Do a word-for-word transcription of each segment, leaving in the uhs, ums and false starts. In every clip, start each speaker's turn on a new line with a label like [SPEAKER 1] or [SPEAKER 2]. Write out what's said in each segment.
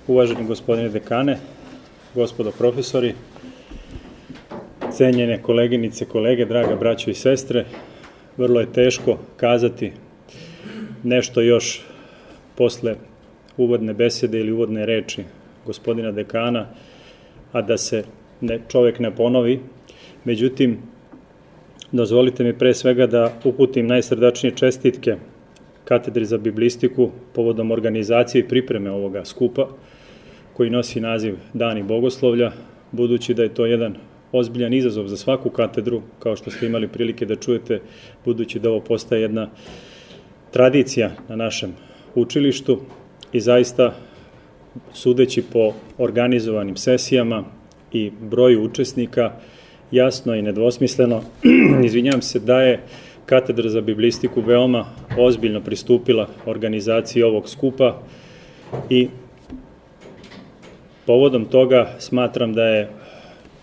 [SPEAKER 1] Uvaženi gospodine dekane, gospodo profesori, cenjene koleginice, kolege, draga braćo i sestre, vrlo je teško kazati nešto još posle uvodne besede ili uvodne reči gospodina dekana, a da se ne, čovjek ne ponovi. Međutim, dozvolite mi pre svega da uputim najsrdačnije čestitke Katedri za biblistiku povodom organizacije i pripreme ovoga skupa, koji nosi naziv Dani bogoslovlja, budući da je to jedan ozbiljan izazov za svaku katedru, kao što ste imali prilike da čujete, budući da ovo postaje jedna tradicija na našem učilištu i zaista, sudeći po organizovanim sesijama i broju učesnika, jasno i nedvosmisleno, izvinjam se, da je Katedra za biblistiku veoma ozbiljno pristupila organizaciji ovog skupa i povodom toga smatram da je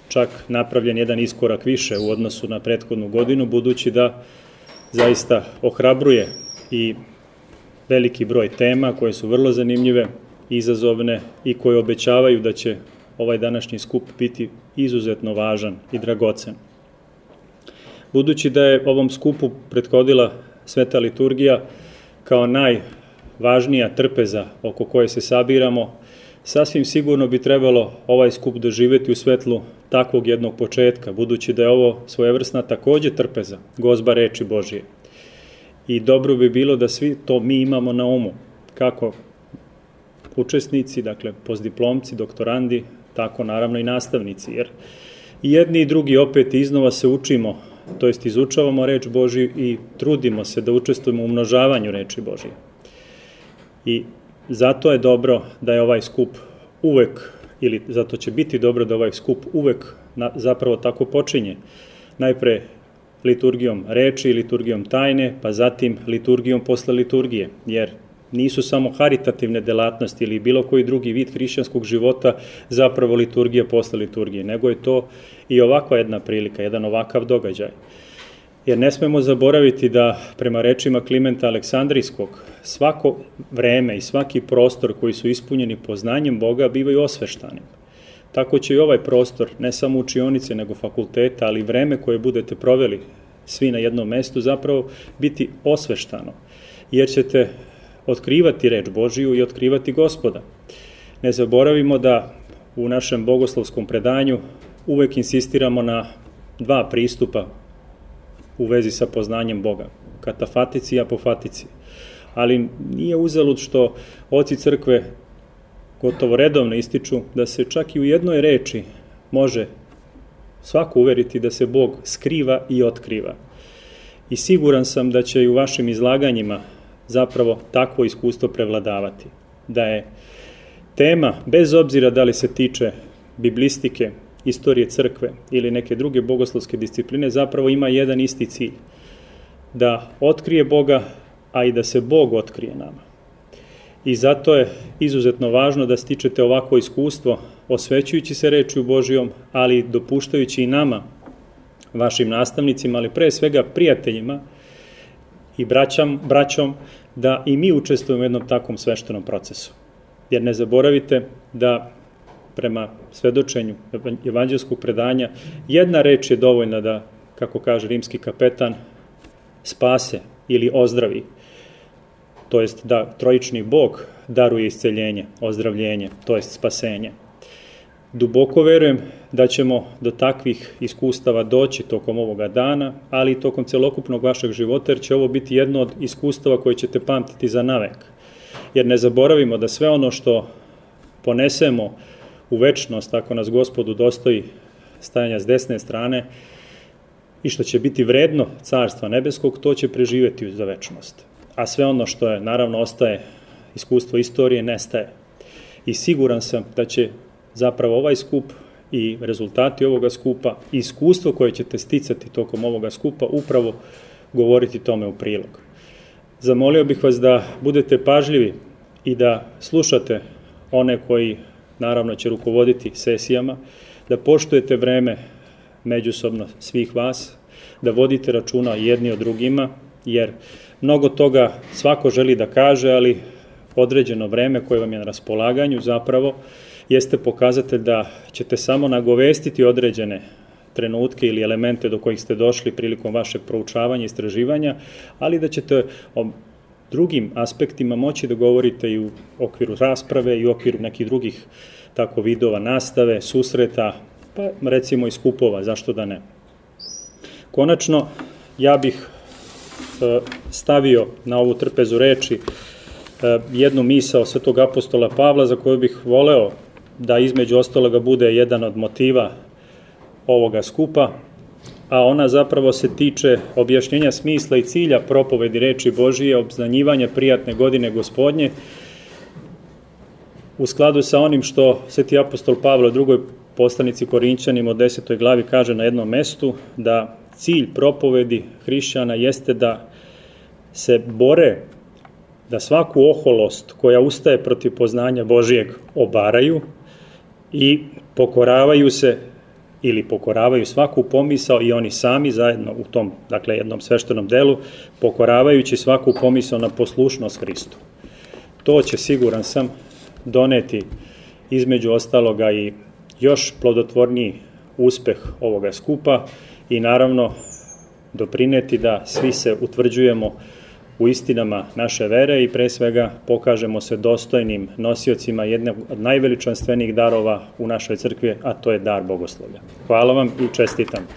[SPEAKER 1] čak napravljen jedan iskorak više u odnosu na prethodnu godinu, budući da zaista ohrabruje i veliki broj tema koje su vrlo zanimljive, izazovne i koje obećavaju da će ovaj današnji skup biti izuzetno važan i dragocen. Budući da je ovom skupu prethodila Sveta liturgija kao najvažnija trpeza oko koje se sabiramo, sasvim sigurno bi trebalo ovaj skup doživjeti u svetlu takvog jednog početka, budući da je ovo svojevrsna takođe trpeza, gozba reči Božije. I dobro bi bilo da svi to mi imamo na umu, kako učesnici, dakle postdiplomci, doktorandi, tako naravno i nastavnici, jer i jedni i drugi opet iznova se učimo, to jest izučavamo reč Božiju i trudimo se da učestvujemo u umnožavanju reči Božije. I zato je dobro da je ovaj skup uvek, ili zato će biti dobro da ovaj skup uvek na, zapravo tako počinje. Najpre liturgijom reči, liturgijom tajne, pa zatim liturgijom posle liturgije, jer nisu samo haritativne delatnosti ili bilo koji drugi vid hrišćanskog života zapravo liturgija posle liturgije, nego je to i ovakva jedna prilika, jedan ovakav događaj. Jer ne smemo zaboraviti da, prema rečima Klimenta Aleksandrijskog, svako vreme i svaki prostor koji su ispunjeni poznanjem Boga bivaju osveštani. Tako će i ovaj prostor, ne samo učionice, nego fakulteta, ali i vreme koje budete proveli svi na jednom mestu, zapravo biti osveštano, jer ćete otkrivati reč Božiju i otkrivati Gospoda. Ne zaboravimo da u našem bogoslovskom predanju uvek insistiramo na dva pristupa u vezi sa poznanjem Boga, katafatici i apofatici. Ali nije uzalud što oci crkve gotovo redovno ističu da se čak i u jednoj reči može svako uveriti da se Bog skriva i otkriva. I siguran sam da će i u vašim izlaganjima zapravo takvo iskustvo prevladavati. Da je tema, bez obzira da li se tiče biblistike, istorije crkve ili neke druge bogoslovske discipline, zapravo ima jedan isti cilj. Da otkrije Boga, a i da se Bog otkrije nama. I zato je izuzetno važno da stičete ovako iskustvo, osvećujući se rečju Božijom, ali dopuštajući i nama, vašim nastavnicima, ali pre svega prijateljima i braćam, braćom, da i mi učestvujemo u jednom takvom sveštenom procesu. Jer ne zaboravite da prema svedočenju evanđelskog predanja, jedna reč je dovoljna da, kako kaže rimski kapetan, spase ili ozdravi. To jest da trojični Bog daruje isceljenje, ozdravljenje, to jest spasenje. Duboko verujem da ćemo do takvih iskustava doći tokom ovoga dana, ali i tokom celokupnog vašeg života, jer će ovo biti jedno od iskustava koje ćete pamtiti za navek. Jer ne zaboravimo da sve ono što ponesemo u večnost, ako nas Gospodu dostoji stajanja s desne strane, i što će biti vredno Carstva nebeskog, to će preživjeti za večnost. A sve ono što je, naravno, ostaje iskustvo istorije, nestaje. I siguran sam da će zapravo ovaj skup i rezultati ovoga skupa, iskustvo koje ćete sticati tokom ovoga skupa, upravo govoriti tome u prilog. Zamolio bih vas da budete pažljivi i da slušate one koji, naravno, će rukovoditi sesijama, da poštujete vreme međusobno svih vas, da vodite računa jedni o drugima, jer mnogo toga svako želi da kaže, ali određeno vreme koje vam je na raspolaganju zapravo jeste pokazatelj da ćete samo nagovestiti određene trenutke ili elemente do kojih ste došli prilikom vašeg proučavanja i istraživanja, ali da ćete o drugim aspektima moći da govorite i u okviru rasprave i u okviru nekih drugih tako vidova nastave, susreta, pa recimo i skupova, zašto da ne. Konačno, ja bih e, stavio na ovu trpezu reči e, jednu misao svetog apostola Pavla za koju bih voleo da između ostaloga bude jedan od motiva ovoga skupa, a ona zapravo se tiče objašnjenja smisla i cilja propovedi reči Božije, obznanjivanja prijatne godine Gospodnje, u skladu sa onim što sveti apostol Pavle u drugoj poslanici Korinćanima u desetoj glavi kaže na jednom mestu, da cilj propovedi hrišćana jeste da se bore, da svaku oholost koja ustaje protiv poznanja Božijeg obaraju i pokoravaju se ili pokoravaju svaku pomisao i oni sami zajedno u tom, dakle, jednom sveštenom delu, pokoravajući svaku pomisao na poslušnost Hristu. To će, siguran sam, doneti između ostaloga i još plodotvorniji uspeh ovoga skupa i naravno doprineti da svi se utvrđujemo u istinama naše vere i pre svega pokažemo se dostojnim nosiocima jednog od najveličanstvenijih darova u našoj crkvi, a to je dar bogoslovlja. Hvala vam i čestitam.